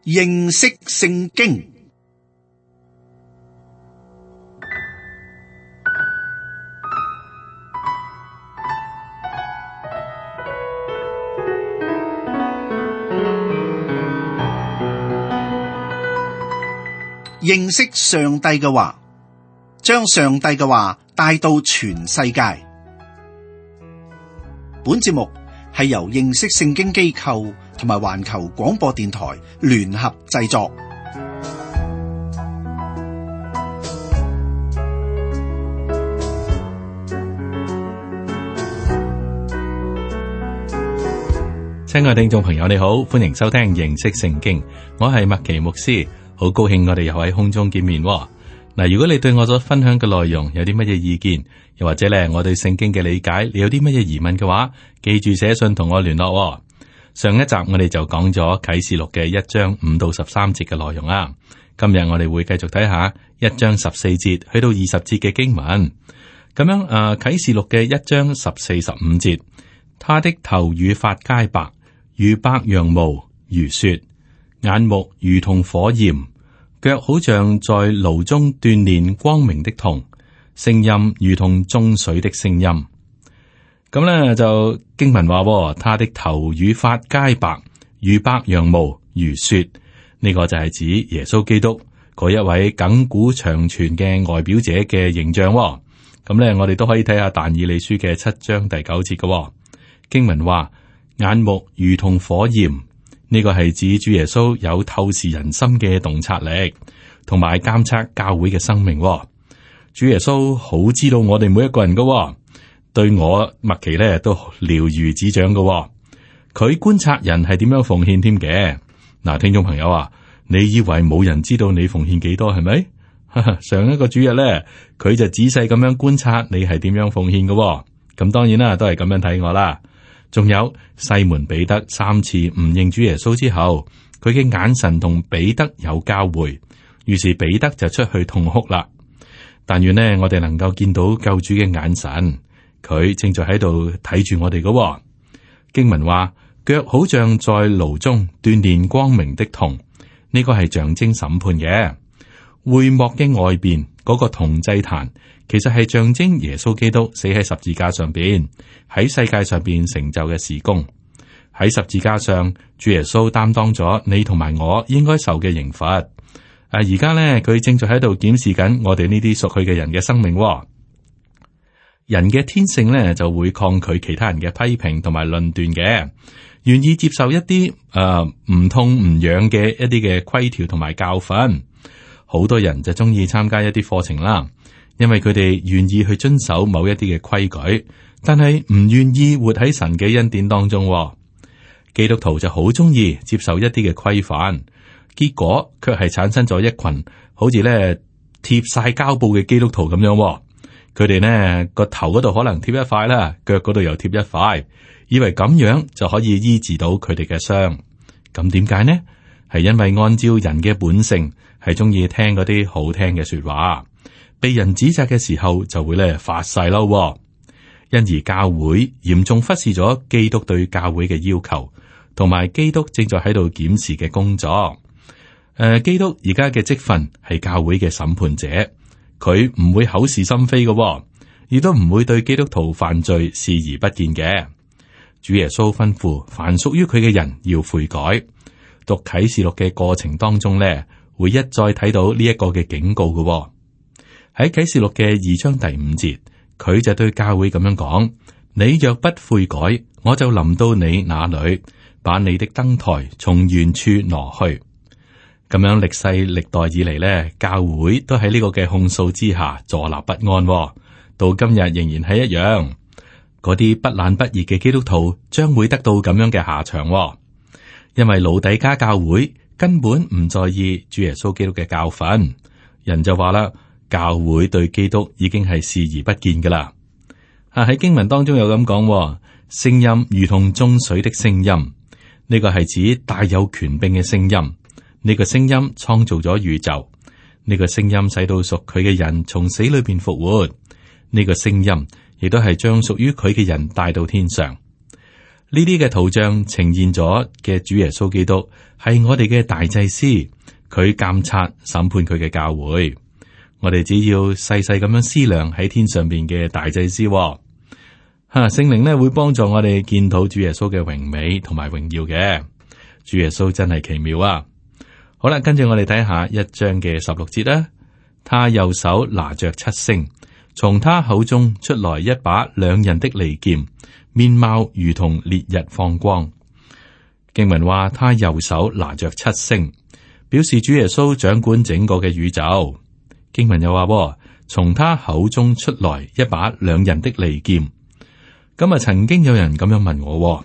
認識聖經。認識上帝嘅話，將上帝嘅話帶到全世界。本節目係由認識聖經機構同埋環球廣播電台聯合製作。親愛聽眾朋友，你好，歡迎收聽認識聖經，我係麥奇牧師。好高興我哋又喺空中見面嗱。如果你對我所分享嘅內容有啲乜嘢意見，又或者咧我對聖經嘅理解，你有啲乜嘢疑問嘅話，記住寫信同我聯絡。上一集我哋就講咗啟示錄嘅1章5到13節嘅內容啦。今日我哋會繼續睇下1章14節去到20節嘅經文。咁樣啟示錄嘅1章14、15節，他的頭與髮皆白，如白羊毛，如雪，眼目如同火焰，腳好像在爐中鍛煉光明的銅，聲音如同眾水的聲音。咁呢就經文話，他的頭與髮皆白，如白羊毛，如雪。呢個就係指耶穌基督嗰一位亙古長存嘅外表者嘅形象。咁呢，我哋都可以睇下但以理書嘅7章第9節嘅經文話，眼目如同火焰。呢個係指主耶穌有透視人心嘅洞察力，同埋監測教會嘅生命。主耶穌好知道我哋每一個人噶，對我麥奇咧都了如指掌噶。佢觀察人係點樣奉獻添嘅。嗱，聽眾朋友啊，你以為冇人知道你奉獻幾多係咪？上一個主日咧，佢就仔細咁樣觀察你係點樣奉獻噶。咁當然啦，都係咁樣睇我啦。仲有西門彼得3次唔認主耶穌之後，佢嘅眼神同彼得有交匯，於是彼得就出去痛哭啦。但願呢，我哋能夠見到救主嘅眼神，佢正在喺度睇住我哋嘅。經文話，腳好像在爐中鍛煉光明的銅，呢個係象徵審判嘅。會幕嘅外邊嗰個銅祭壇，其實係象徵耶穌基督死喺十字架上邊，喺世界上邊成就嘅事工。喺十字架上，主耶穌擔當咗你同埋我應該受嘅刑罰。而家呢，佢正在喺度檢視緊我哋呢啲屬佢嘅人嘅生命。人嘅天性呢，就會抗拒其他人嘅批評同埋論斷嘅，願意接受一啲唔痛唔癢嘅一啲嘅規條同埋教訓。好多人就中意參加一啲課程啦，因為佢哋願意去遵守某一啲嘅規矩，但係唔願意活喺神嘅恩典當中。基督徒就好中意接受一啲嘅規範，結果卻係產生咗一群好似咧貼晒膠布嘅基督徒咁樣。佢哋呢個頭嗰度可能貼一塊啦，腳嗰度又貼一塊，以為咁樣就可以醫治到佢哋嘅傷。咁點解呢？係因為按照人嘅本性，係中意聽嗰啲好聽嘅說話，被人指責嘅時候就會咧發晒嬲。因而教會嚴重忽視咗基督對教會嘅要求，同埋基督正在喺度檢視嘅工作。基督而家嘅職分係教會嘅審判者，佢唔會口是心非嘅，亦都唔會對基督徒犯罪視而不見嘅。主耶穌吩咐凡屬於佢嘅人要悔改。讀啟示錄嘅過程當中咧，會一再睇到呢一個嘅警告嘅。喺啟示錄嘅2章第5節，佢就對教會咁樣講：你若不悔改，我就臨到你那裏，把你的燈台從原處挪去。咁樣歷世歷代以嚟咧，教會都喺呢個嘅控訴之下坐立不安，到今日仍然係一樣。嗰啲不冷不熱嘅基督徒將會得到咁樣嘅下場。因為老底嘉教會根本唔在意主耶穌基督嘅教訓，人就話啦，教會對基督已經係視而不見噶啦。喺經文當中有咁講，聲音如同眾水的聲音，呢個係指大有權柄嘅聲音。呢個聲音創造咗宇宙，呢個聲音使到屬佢嘅人從死裏邊復活。呢個聲音亦都係將屬於佢嘅人帶到天上。呢啲嘅圖像呈現咗嘅主耶穌基督係我哋嘅大祭司，佢監察審判佢嘅教會。我哋只要細細咁樣思量喺天上邊嘅大祭司，聖靈呢會幫助我哋見到主耶穌嘅榮美同埋榮耀嘅。主耶穌真係奇妙啊！好啦，跟住我哋睇下1章嘅16節啦。他右手拿着7星，從他口中出來一把兩刃的利劍，面貌如同烈日放光。經文話他右手拿着7星，表示主耶穌掌管整個嘅宇宙。經文又話從他口中出來一把兩刃的利劍。咁啊，曾經有人咁樣問我，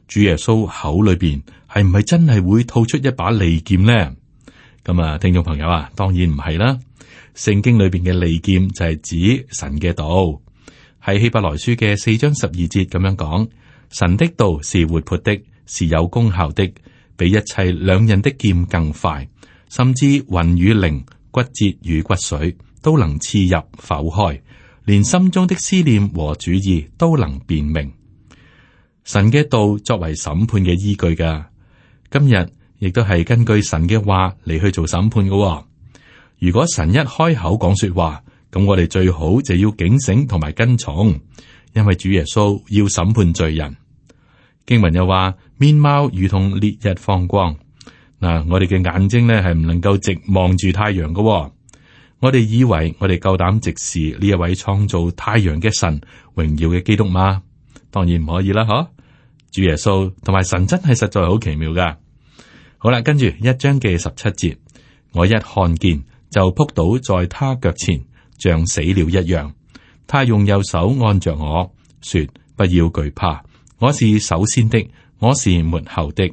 主耶穌口裏邊係唔係真係會吐出一把利劍呢？咁啊，聽眾朋友啊，當然唔係啦。聖經裏邊嘅利劍就係指神嘅道，喺希伯來書嘅4章12節咁樣講：神的道是活潑的，是有功效的，比一切兩刃的劍更快，甚至魂與靈、骨節與骨髓都能刺入剖開，連心中的思念和主意都能辨明。神嘅道作為審判嘅依據噶，今日亦都係根據神嘅話嚟去做審判噶。如果神一開口講說話，咁我哋最好就要警醒同埋跟從，因為主耶穌要審判罪人。經文又話面貌如同烈日放光。嗱，我哋嘅眼睛呢係唔能夠直望住太陽噶。我哋以為我哋夠膽直視呢一位創造太陽嘅神榮耀嘅基督嗎？當然唔可以啦，嗬！主耶穌同埋神真係實在好奇妙噶。好啦，跟住1章嘅17節，我一看見就撲倒在他腳前，像死了一樣。他用右手按着我說：不要懼怕，我是首先的，我是末後的。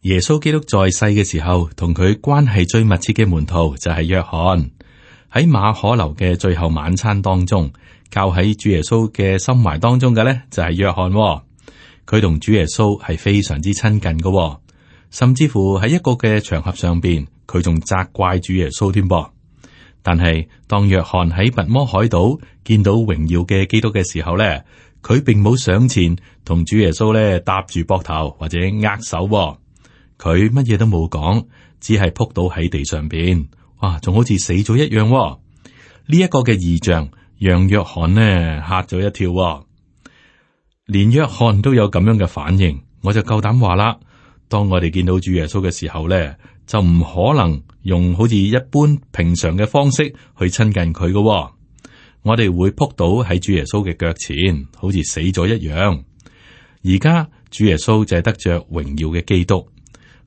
耶穌基督在世嘅時候，同佢關係最密切嘅門徒就係約翰。喺馬可樓嘅最後晚餐當中，靠喺主耶穌嘅心懷當中嘅呢，就係約翰。佢同主耶穌係非常之親近嘅，甚至乎喺一個嘅場合上邊，佢仲責怪主耶穌添噃。但係當約翰喺拔摩海島見到榮耀嘅基督嘅時候呢，佢並冇上前同主耶穌呢搭住膊頭或者握手，佢乜嘢都冇講，只係撲倒喺地上邊。哇，仲好似死咗一樣。呢一個嘅異象讓約翰呢嚇咗一跳，連約翰都有咁樣嘅反應，我就夠膽話啦。當我哋見到主耶穌嘅時候咧，就唔可能用好似一般平常嘅方式去親近佢嘅。我哋會撲倒喺主耶穌嘅腳前，好似死咗一樣。而家主耶穌就係得着榮耀嘅基督，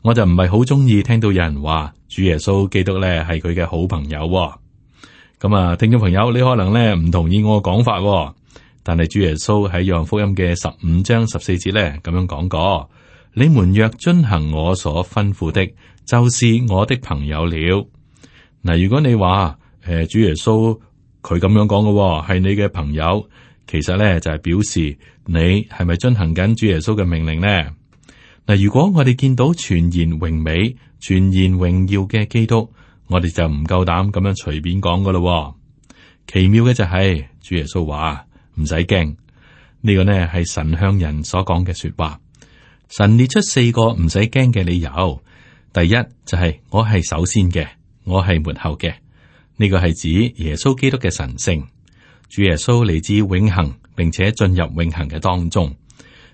我就唔係好中意聽到有人話主耶穌基督咧係佢嘅好朋友。咁啊，聽眾朋友，你可能咧唔同意我嘅講法，但係主耶穌喺約翰福音嘅15章14節咧咁樣講過：你們若遵行我所吩咐的，就是我的朋友了。嗱，如果你話主耶穌佢咁樣講嘅係你嘅朋友，其實咧就係表示你係咪遵行緊主耶穌嘅命令呢？嗱，如果我哋見到全然榮美、全然榮耀嘅基督，我哋就唔夠膽咁樣隨便講噶咯。奇妙嘅就係主耶穌話唔使驚，呢個呢係神向人所講嘅說話。神列出4個唔使驚嘅理由。第一就係我係首先嘅，我係末後嘅。呢個係指耶穌基督嘅神性。主耶穌嚟自永恆，並且進入永恆嘅當中。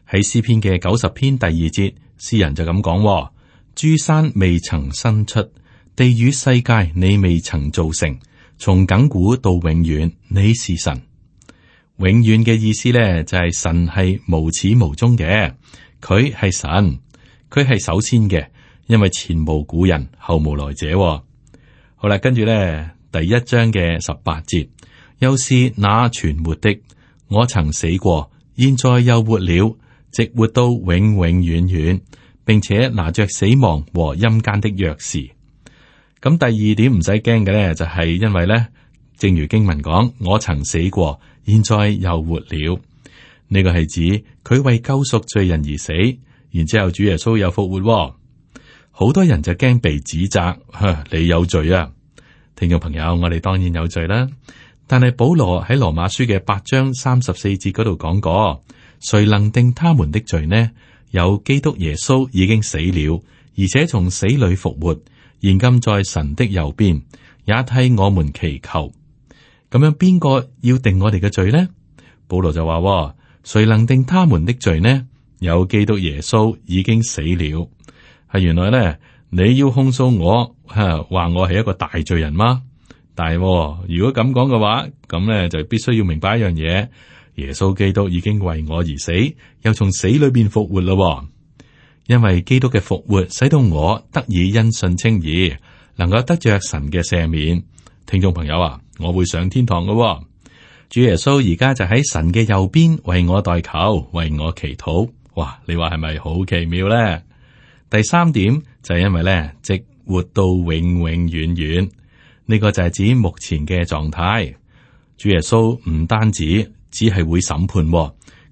喺詩篇嘅90篇第2節，詩人就咁講：諸山未曾生出，地與世界你未曾造成，從亙古到永遠，你是神。永遠嘅意思咧，就係神係無始無終嘅，佢係神，佢係首先嘅，因為前無古人，後無來者。好啦，跟住咧第1章嘅18節，又是那存活的，我曾死過，現在又活了，直活到永永遠遠，並且拿着死亡和陰間的鑰匙。咁第二點唔使驚嘅咧，就係因為咧，正如經文講，我曾死過，現在又活了。呢個係指佢為救贖罪人而死，然之後主耶穌又復活。好多人就驚被指責，你有罪啊！聽眾朋友，我哋當然有罪啦。但係保羅喺羅馬書嘅8章34節嗰度講過，誰能定他們的罪呢？有基督耶穌已經死了，而且從死裏復活，現今在神的右邊，也替我們祈求。咁樣邊個要定我哋嘅罪呢？保羅就話：誰能定他們的罪呢？有基督耶穌已經死了。係原來咧，你要控訴我，話我係一個大罪人嗎？但係如果咁講嘅話，咁咧就必須要明白一樣嘢：耶穌基督已經為我而死，又從死裏邊復活咯。因為基督嘅復活，使到我得以因信稱義，能夠得着神嘅赦免。聽眾朋友啊，我會上天堂嘅。主耶穌而家就喺神嘅右邊為我代求，為我祈禱。哇，你話係咪好奇妙咧？第三點就係因為咧，直活到永永遠遠，呢個就係指目前嘅狀態。主耶穌唔單止只係會審判，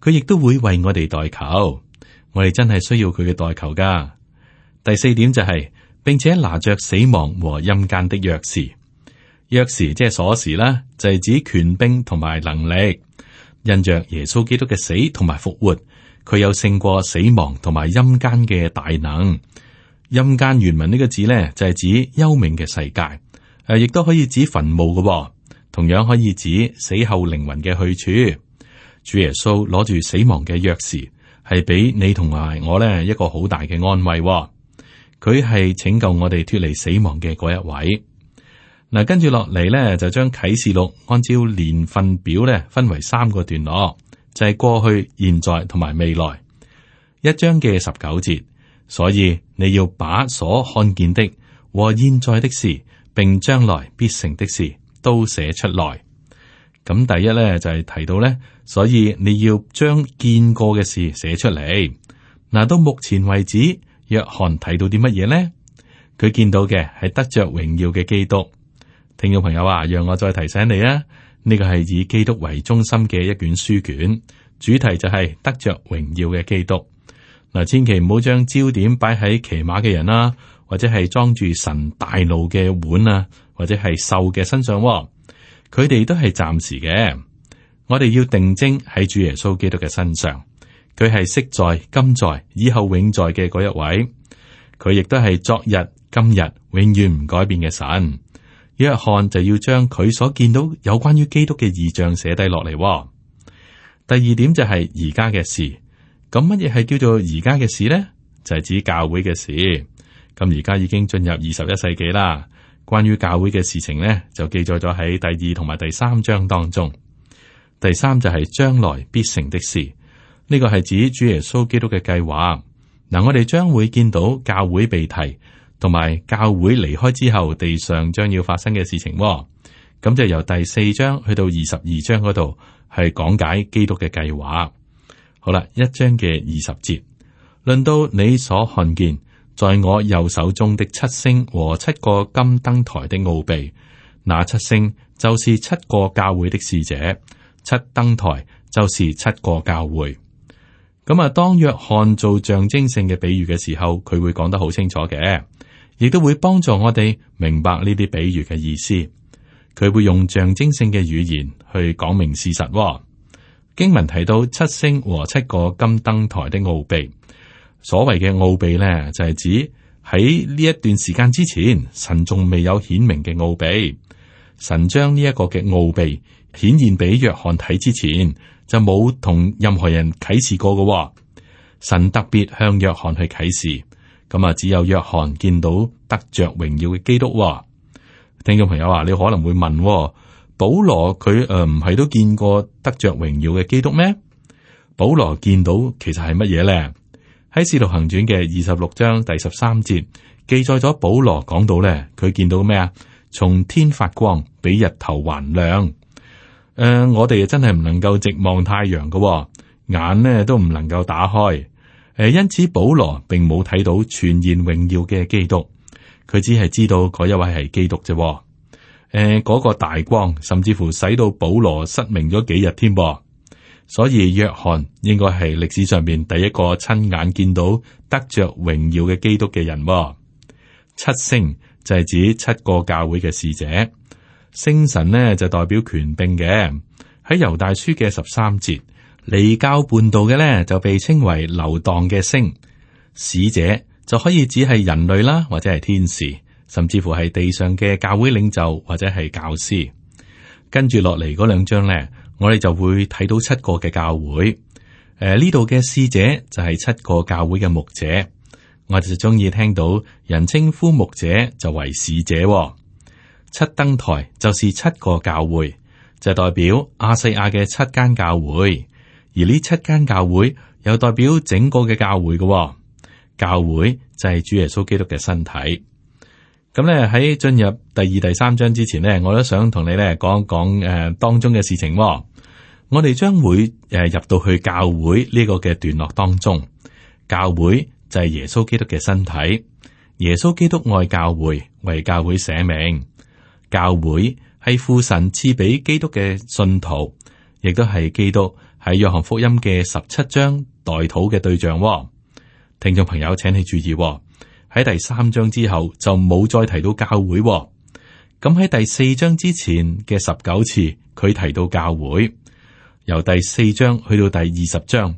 佢亦都會為我哋代求。我哋真係需要佢嘅代求噶。第四點就係，並且拿着死亡和陰間的鑰匙。鑰匙即係鎖匙啦，就係指權柄同埋能力。因着耶穌基督嘅死同埋復活，佢有勝過死亡同埋陰間嘅大能。陰間原文呢個字咧，就係指幽冥嘅世界，亦都可以指墳墓嘅，同樣可以指死後靈魂嘅去處。主耶穌攞住死亡嘅鑰匙，係俾你同埋我咧一個好大嘅安慰。佢係拯救我哋脫離死亡嘅嗰一位。嗱，跟住落嚟咧，就將啟示錄按照年份表咧分為3個段落，就係過去、現在同埋未來。1章嘅19節，所以你要把所看見的和現在的事，並將來必成的事都寫出來。咁第一咧就係提到咧，所以你要將見過嘅事寫出嚟。嗱，到目前為止，約翰睇到啲乜嘢呢？佢見到嘅係得着榮耀嘅基督。聽眾朋友啊，讓我再提醒你啊，呢個係以基督為中心嘅一卷書卷，主題就係得着榮耀嘅基督。嗱，千祈唔好將焦點擺喺騎馬嘅人啦，或者係裝住神大怒嘅碗啊，或者係獸嘅身上。佢哋都係暫時嘅。我哋要定睛喺主耶穌基督嘅身上，佢係昔在、今在、以後永在嘅嗰一位。佢亦都係昨日、今日永遠唔改變嘅神。約翰就要將佢所見到有關於基督嘅異象寫低落嚟。第二點就係而家嘅事。咁乜嘢係叫做而家嘅事呢？就係指教會嘅事。咁而家已經進入21世紀啦。關於教會嘅事情呢，就記載咗喺第2同埋第3章當中。第3就係將來必成的事。呢個係指主耶穌基督嘅計劃。嗱，我哋將會見到教會被提，同埋教會離開之後，地上將要發生嘅事情。咁就由第4章去到22章嗰度，係講解基督嘅計劃。好啦，1章嘅20節，論到你所看見，在我右手中的7星和7個金燈台的奧秘，那7星就是7個教會的使者，7燈台就是7個教會。咁啊，當約翰做象徵性嘅比喻嘅時候，佢會講得好清楚嘅，亦都會幫助我哋明白呢啲比喻嘅意思。佢會用象徵性嘅語言去講明事實。經文提到7星和7個金燈台的奧秘，所謂嘅奧秘呢，就係指喺呢一段時間之前，神仲未有顯明嘅奧秘。神將呢一個嘅奧秘顯現俾約翰睇之前，就冇同任何人啟示過嘅。神特別向約翰去啟示，咁啊，只有約翰見到得着榮耀嘅基督。聽眾朋友啊，你可能會問，保羅佢唔係都見過得着榮耀嘅基督咩？保羅見到其實係乜嘢咧？喺《使徒行傳》嘅26章第13節記載咗保羅講到咧，佢見到咩啊？從天發光，比日頭還亮。我哋真係唔能夠直望太陽嘅，眼呢都唔能夠打開。因此保羅並冇睇到全然榮耀嘅基督，佢只係知道嗰一位係基督啫。嗰個大光甚至乎使到保羅失明咗幾日添噃。所以約翰應該係歷史上面第一個親眼見到得着榮耀嘅基督嘅人。7星就係指7個教會嘅使者，星辰呢就代表權柄嘅。喺猶大書嘅13節，離經叛道嘅咧就被稱為流蕩嘅星，使者就可以只係人類啦，或者係天使，甚至乎係地上嘅教會領袖或者係教師。跟住落嚟嗰兩章咧，我哋就會睇到7個嘅教會。呢度嘅使者就係7個教會嘅牧者。我哋就中意聽到人稱呼牧者就為使者。7燈台就是7個教會，就代表亞細亞嘅7間教會，而呢7間教會又代表整個嘅教會嘅。教會就係主耶穌基督嘅身體。咁咧喺進入第2、第3章之前呢，我都想同你咧講一講當中嘅事情。我哋將會入到去教會呢個嘅段落當中。教會就係耶穌基督嘅身體，耶穌基督愛教會，為教會捨命。教會係父神賜俾基督嘅信徒，亦都係基督喺約翰福音嘅17章代禱嘅對象。聽眾朋友，請你注意。喺第3章之後就冇再提到教會。咁喺第4章之前嘅19次，佢提到教會。由第4章去到第20章，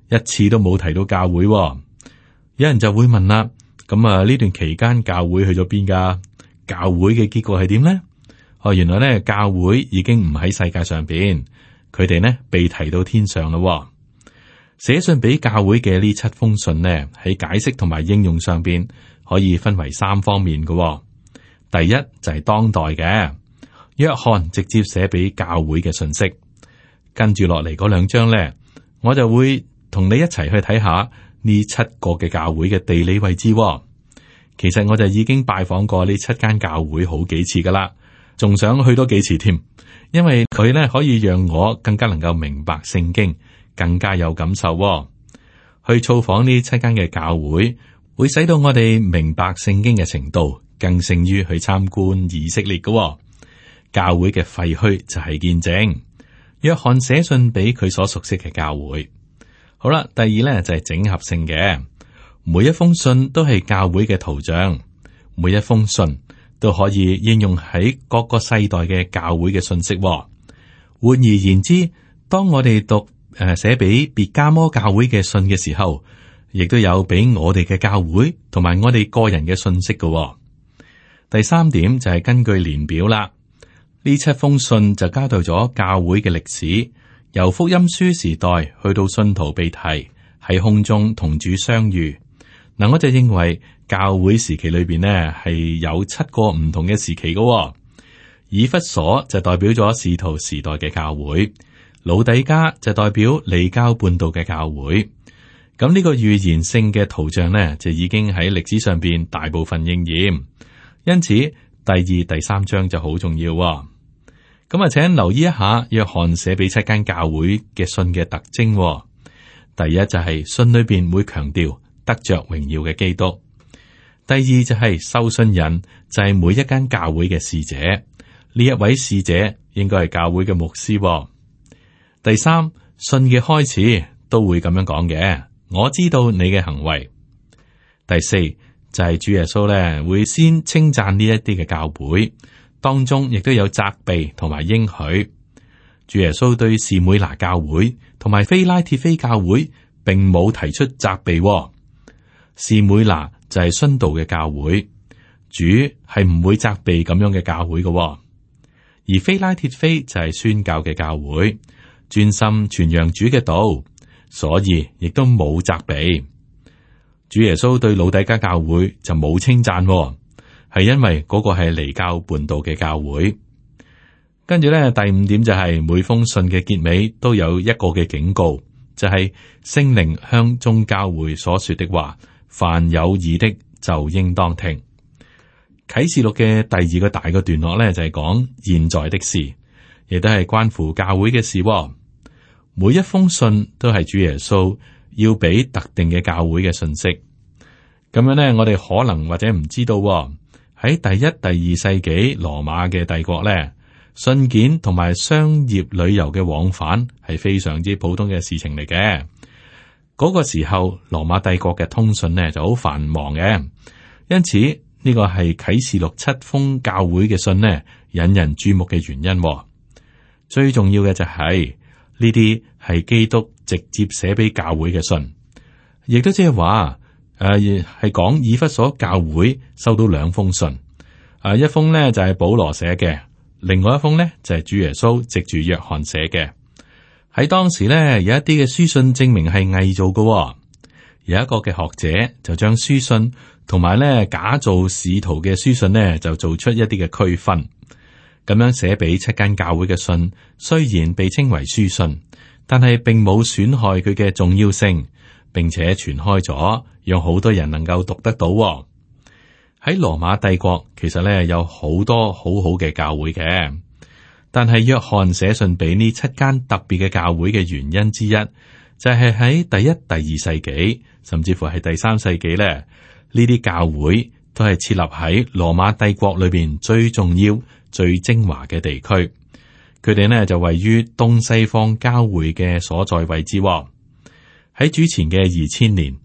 一次都冇提到教會。有人就會問啦，咁呢段期間教會去咗邊噶？教會嘅結果係點呢？原來咧教會已經唔喺世界上邊，佢哋呢被提到天上咯。寫信俾教會嘅呢7封信呢，喺解釋同埋應用上邊可以分為3方面嘅。第一就係當代嘅，約翰直接寫俾教會嘅信息。跟住落嚟嗰2章呢，我就會同你一齊去睇下呢7個嘅教會嘅地理位置。其實我就已經拜訪過呢7間教會好幾次噶啦，仲想去多幾次添，因為佢呢可以讓我更加能夠明白聖經，更加有感受。去造訪呢7間嘅教會，會使到我哋明白聖經嘅程度，更勝於去參觀以色列嘅。教會嘅廢墟就係見證。約翰寫信俾佢所熟悉嘅教會。好啦，第二呢就係整合性嘅，每一封信都係教會嘅圖像，每一封信都可以應用喺各個世代嘅教會嘅信息。換而言之，當我哋讀寫俾別迦摩教會嘅信嘅時候，亦都有俾我哋嘅教會同埋我哋個人嘅信息嘅。第3點就係根據年表啦，呢7封信就交代咗教會嘅歷史，由福音書時代去到信徒被提喺空中同主相遇。嗱，我就認為教會時期裏邊呢係有7個唔同嘅時期嘅。以弗所就代表咗使徒時代嘅教會，老底嘉就代表離經叛道嘅教會。咁呢個預言性嘅圖像呢，就已經喺歷史上邊大部分應驗，因此第2、第3章就好重要。咁請留意一下約翰寫俾7間教會嘅信嘅特徵。第一就係信裏邊會強調得着榮耀嘅基督。第二就係收信人就係每一間教會嘅使者，呢一位使者應該係教會嘅牧師。第三，信嘅開始都會咁樣講嘅，我知道你嘅行為。第四就係主耶穌咧會先稱讚呢一啲嘅教會，當中亦都有責備同埋應許。主耶穌對士每拿教會同埋非拉鐵非教會並冇提出責備。士每拿就係殉道嘅教會，主係唔會責備咁樣嘅教會嘅。而非拉鐵非就係宣教嘅教會，專心傳揚主嘅道，所以亦都冇責備。主耶穌對老底嘉教會就冇稱讚，係因為嗰個係離經叛道嘅教會。跟住咧，第五點就係每封信嘅結尾都有一個嘅警告，就係聖靈向眾教會所說的話，凡有耳的就應當聽。啟示錄嘅第二個大嘅段落咧，就係講現在的事，亦都係關乎教會嘅事。每一封信都係主耶穌要俾特定嘅教會嘅信息。咁樣咧，我哋可能或者唔知道喺第一、第二世紀羅馬嘅帝國咧，信件同埋商業旅遊嘅往返係非常之普通嘅事情嚟嘅。嗰個時候，羅馬帝國嘅通訊呢就好繁忙嘅，因此呢個係啟示錄7封教會嘅信呢引人注目嘅原因。最重要嘅就係呢啲係基督直接寫俾教會嘅信，亦都即係話係講以弗所教會收到兩封信，一封呢就係保羅寫嘅，另外一封呢就係主耶穌藉住約翰寫嘅。喺當時呢，有一啲嘅書信證明係偽造嘅，有一個嘅學者就將書信同埋呢假造使徒嘅書信呢就做出一啲嘅區分。咁樣寫俾7間教會嘅信，雖然被稱為書信，但係並冇損害佢嘅重要性，並且傳開咗，讓好多人能夠讀得到。喺羅馬帝國，其實咧有好多好好嘅教會嘅，但係約翰寫信俾呢7間特別嘅教會嘅原因之一，就係喺第一、第二世紀，甚至乎係第3世紀咧，呢啲教會都係設立喺羅馬帝國裏邊最重要、最精華嘅地區。佢哋呢就位於東西方交匯嘅所在位置。喺主前嘅2000年，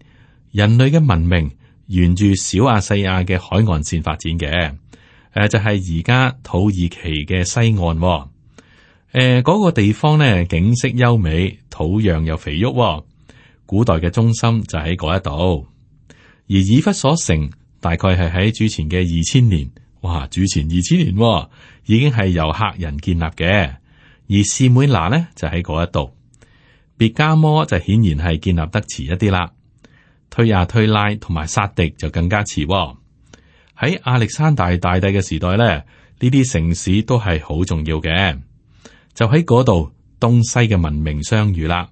人類嘅文明沿住小亞細亞嘅海岸線發展嘅，就係而家土耳其嘅西岸。嗰個地方呢景色優美，土壤又肥沃，古代嘅中心就喺嗰一度。而以弗所城大概係喺主前嘅2000年，哇！主前2000年已經係由赫人建立嘅，而士每拿呢就喺嗰一度。別加摩就顯然係建立得遲一啲啦。推亞推拉同埋撒狄就更加遲。喺亞歷山大大帝嘅時代咧，呢啲城市都係好重要嘅。就喺嗰度，東西嘅文明相遇啦。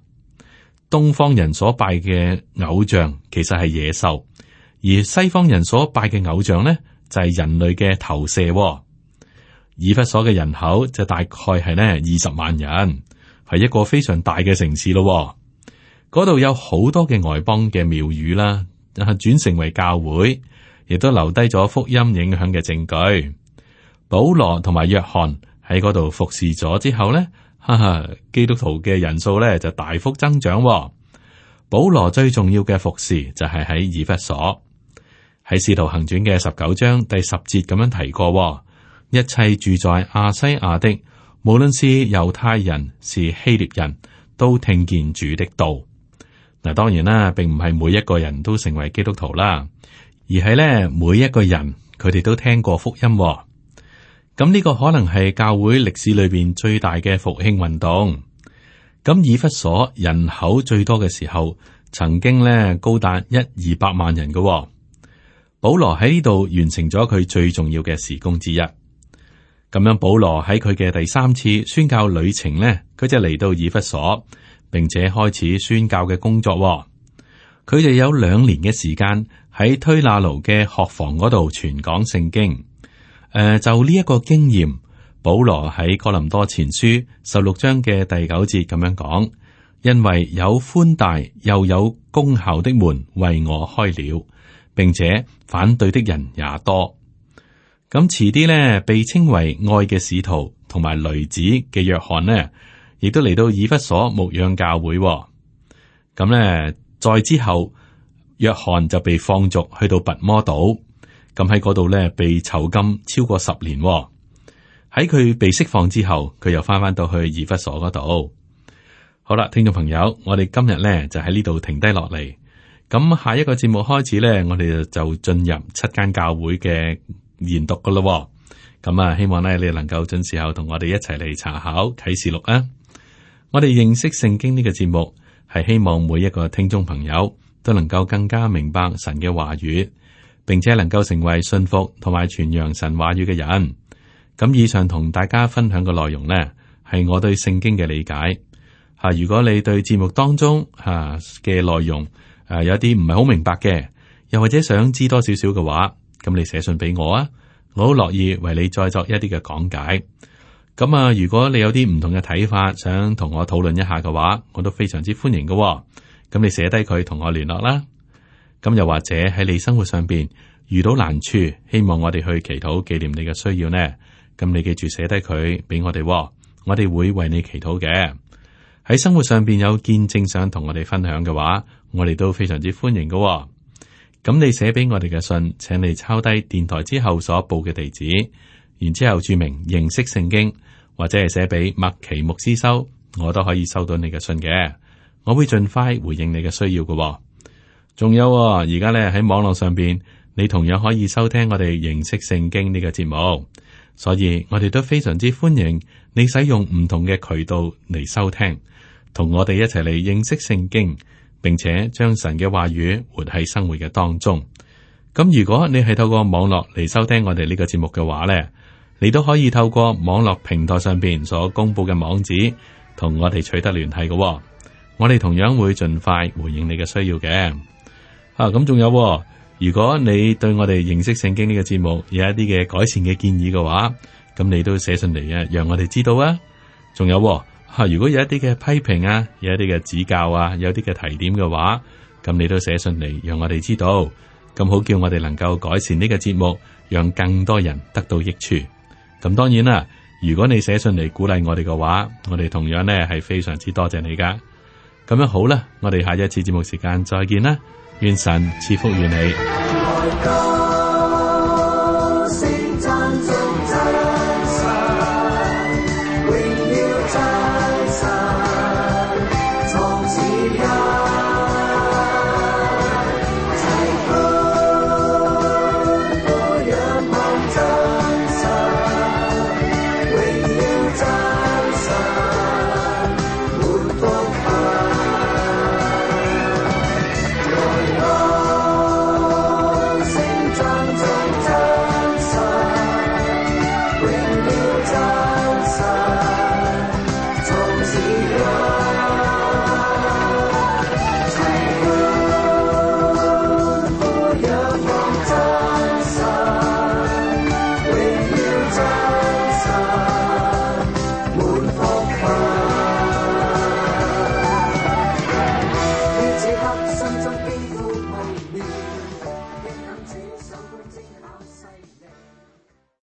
東方人所拜嘅偶像其實係野獸，而西方人所拜嘅偶像呢，就係人類嘅投射。以弗所嘅人口就大概係呢20萬人，係一個非常大嘅城市咯。嗰度有好多嘅外邦嘅廟宇啦，轉成為教會，亦都留低咗福音影響嘅證據。保羅同埋約翰喺嗰度服侍咗之後呢，基督徒嘅人數呢就大幅增長。保羅最重要嘅服侍就係喺以弗所，喺使徒行傳嘅19章第10節咁樣提過，一切住在亞西亞的，無論是猶太人是希臘人，都聽見主的道。嗱，當然啦，並唔係每一個人都成為基督徒啦，而係咧每一個人佢哋都聽過福音。咁呢個可能係教會歷史裏邊最大嘅復興運動。咁以弗所人口最多嘅時候，曾經咧高達100-200萬人嘅。保羅喺呢度完成咗佢最重要嘅事工之一。咁樣，保羅喺佢嘅第3次宣教旅程呢，佢就嚟到以弗所，並且開始宣教嘅工作。佢哋有2年嘅時間喺推拿奴嘅學房嗰度傳講聖經。就呢一個經驗，保羅喺哥林多前書16章嘅第9節咁樣講：因為有寬大又有功效的門為我開了，並且反對的人也多。咁遲啲呢，被稱為愛嘅使徒同埋雷子嘅約翰呢，亦都嚟到以弗所牧養教會。咁呢，再之後，約翰就被放逐去到拔摩島。咁喺嗰度咧，被囚禁超過10年。喺佢被釋放之後，佢又翻到去以弗所嗰度。好啦，聽眾朋友，我哋今日咧就喺呢度停低落嚟。咁下一個節目開始咧，我哋就進入7間教會嘅研讀噶咯。咁啊，希望咧你能夠準時候同我哋一齊嚟查考啟示錄啊。我哋認識聖經呢個節目，係希望每一個聽眾朋友都能夠更加明白神嘅話語，並且能夠成為信服同埋傳揚神話語嘅人。咁以上同大家分享嘅內容呢，係我對聖經嘅理解。如果你對節目當中嘅內容有啲唔係好明白嘅，又或者想知多少少嘅話，咁你寫信俾我啊，我好樂意為你再作一啲嘅講解。咁如果你有啲唔同嘅睇法，想同我討論一下嘅話，我都非常之歡迎嘅。咁你寫低佢同我聯絡啦。咁又或者喺你生活上邊遇到難處，希望我哋去祈禱紀念你嘅需要呢？咁你記住寫低佢俾我哋，我哋會為你祈禱嘅。喺生活上邊有見證想同我哋分享嘅話，我哋都非常之歡迎嘅。咁你寫俾我哋嘅信，請你抄低電台之後所報嘅地址，然之後注明認識聖經，或者係寫俾麥奇牧師收，我都可以收到你嘅信嘅。我會盡快回應你嘅需要嘅。仲有而家咧喺網絡上邊，你同樣可以收聽我哋認識聖經呢個節目，所以我哋都非常之歡迎你使用唔同嘅渠道嚟收聽，同我哋一齊嚟認識聖經，並且將神嘅話語活喺生活嘅當中。咁如果你係透過網絡嚟收聽我哋呢個節目嘅話咧，你都可以透過網絡平台上邊所公布嘅網址，同我哋取得聯繫嘅。我哋同樣會盡快回應你嘅需要嘅。咁仲有，如果你對我哋認識聖經呢個節目有一啲嘅改善嘅建議嘅話，咁你都寫信嚟啊，讓我哋知道啊。仲有，如果有一啲嘅批評啊，有一啲嘅指教啊，有啲嘅提點嘅話，咁你都寫信嚟，讓我哋知道，咁好叫我哋能夠改善呢個節目，讓更多人得到益處。咁當然啦，如果你寫信嚟鼓勵我哋嘅話，我哋同樣呢係非常之多謝你噶。咁樣好啦，我哋下一次節目時間再見啦，願神賜福於你。